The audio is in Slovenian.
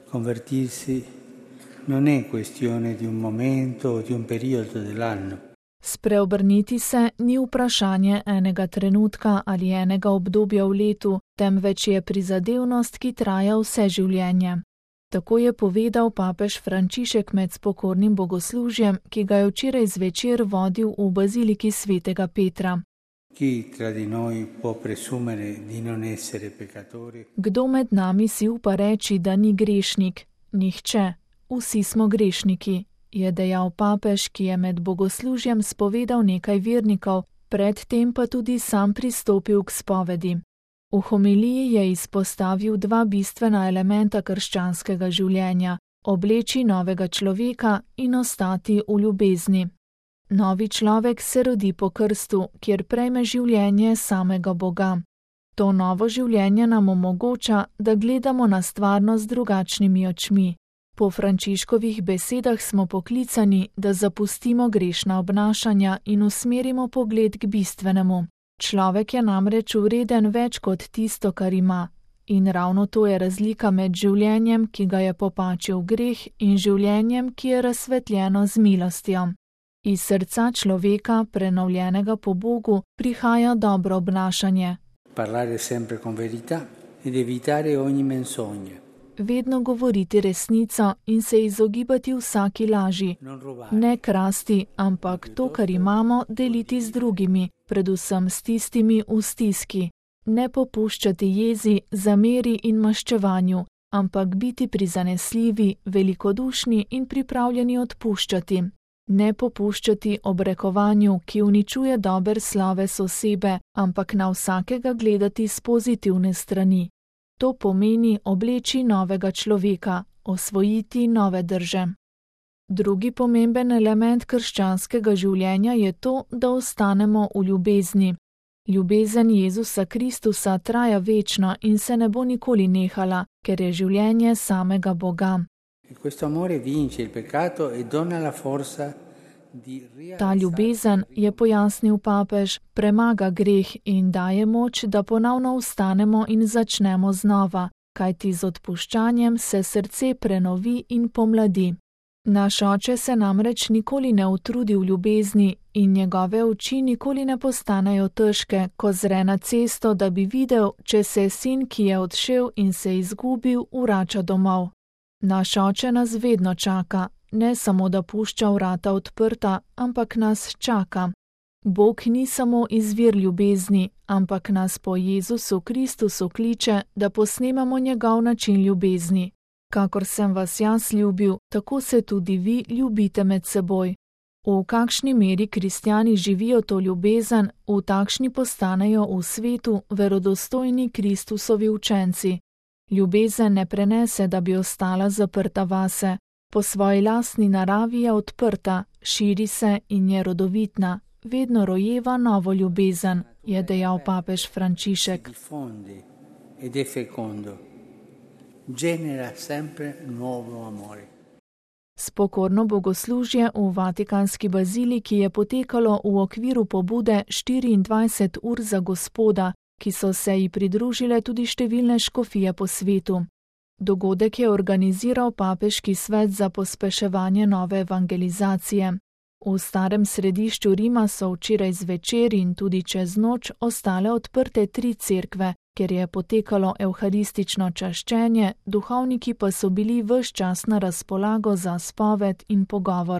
Convertirsi non è questione di un momento o di un periodo dell'anno. Spreobrniti se ni vprašanje enega trenutka ali enega obdobja v letu, temveč je prizadevnost, ki traja vse življenje. Tako je povedal papež Frančišek med spokornim bogoslužjem, ki ga je včeraj zvečer vodil v baziliki svetega Petra. Kdo med nami si upa reči, da ni grešnik? Nihče. Vsi smo grešniki, je dejal papež, ki je med bogoslužjem spovedal nekaj vernikov, predtem pa tudi sam pristopil k spovedi. V homiliji je izpostavil dva bistvena elementa krščanskega življenja: obleči novega človeka in ostati v ljubezni. Novi človek se rodi po krstu, kjer prejme življenje samega Boga. To novo življenje nam omogoča, da gledamo na stvarnost z drugačnimi očmi. Po Frančiškovih besedah smo poklicani, da zapustimo grešna obnašanja in usmerimo pogled k bistvenemu. Človek je namreč vreden več kot tisto, kar ima. In ravno to je razlika med življenjem, ki ga je popačil greh, in življenjem, ki je razsvetljeno z milostjo. Iz srca človeka, prenovljenega po Bogu, prihaja dobro obnašanje. Parlare sempre con verità ed evitare ogni menzogna. Vedno govoriti resnico in se izogibati vsaki laži. Ne krasti, ampak to, kar imamo, deliti z drugimi, predvsem s tistimi v stiski. Ne popuščati jezi, zameri in maščevanju, ampak biti prizanesljivi, velikodušni in pripravljeni odpuščati. Ne popuščati obrekovanju, ki uničuje dober sloves osebe, ampak na vsakega gledati s pozitivne strani. To pomeni obleči novega človeka, osvojiti nove drže. Drugi pomemben element krščanskega življenja je to, da ostanemo v ljubezni. Ljubezen Jezusa Kristusa traja večno in se ne bo nikoli nehala, ker je življenje samega Boga. Ta ljubezen, je pojasnil papež, premaga greh in daje moč, da ponovno vstanemo in začnemo znova, kajti z odpuščanjem se srce prenovi in pomladi. Naš oče se namreč nikoli ne utrudi v ljubezni in njegove oči nikoli ne postanejo težke, ko zre na cesto, da bi videl, če se sin, ki je odšel in se izgubil, vrača domov. Naš oče nas vedno čaka, ne samo da pušča vrata odprta, ampak nas čaka. Bog ni samo izvir ljubezni, ampak nas po Jezusu Kristusu kliče, da posnemamo njegov način ljubezni. Kakor sem vas jaz ljubil, tako se tudi vi ljubite med seboj. V kakšni meri kristjani živijo to ljubezen, v takšni postanejo v svetu verodostojni Kristusovi učenci. Ljubezen ne prenese, da bi ostala zaprta vase. Po svoji lastni naravi je odprta, širi se in je rodovitna, vedno rojeva novo ljubezen, je dejal papež Frančišek. Spokorno bogoslužje v Vatikanski baziliki je potekalo v okviru pobude 24 ur za Gospoda, ki so se ji pridružile tudi številne škofije po svetu. Dogodek je organiziral Papeški svet za pospeševanje nove evangelizacije. V starem središču Rima so včeraj zvečer in tudi čez noč ostale odprte 3 cerkve, kjer je potekalo evharistično čaščenje, duhovniki pa so bili ves čas na razpolago za spoved in pogovor.